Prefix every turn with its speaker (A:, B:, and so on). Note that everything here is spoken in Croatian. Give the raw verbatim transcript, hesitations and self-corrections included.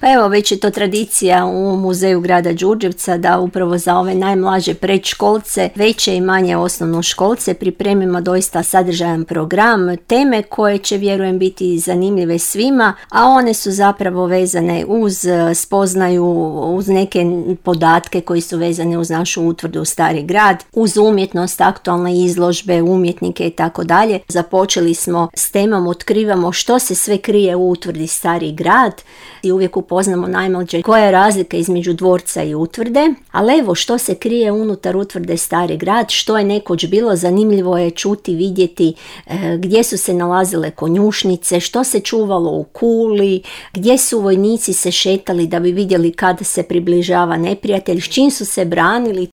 A: Pa evo, već je to tradicija u muzeju grada Đurđevca da upravo za ove najmlađe predškolce, veće i manje osnovnoškolce pripremimo doista sadržajan program, teme koje će, vjerujem, biti zanimljive svima, a one su zapravo vezane uz spoznaju, uz neke podatke koji su vezane uz našu utvrdu Stari grad, uz umjetnost, aktualne izložbe, umjetnike i tako dalje. Započeli smo s temom Otkrivamo što se sve krije u utvrdi Stari grad i uvijek upoznamo najmlađe koja je razlika između dvorca i utvrde, ali evo što se krije unutar utvrde Stari grad, što je nekoć bilo, zanimljivo je čuti, vidjeti e, gdje su se nalazile konjušnice, što se čuvalo u kuli, gdje su vojnici se šetali da bi vidjeli kada se približava neprijatelj, s čim su se branili.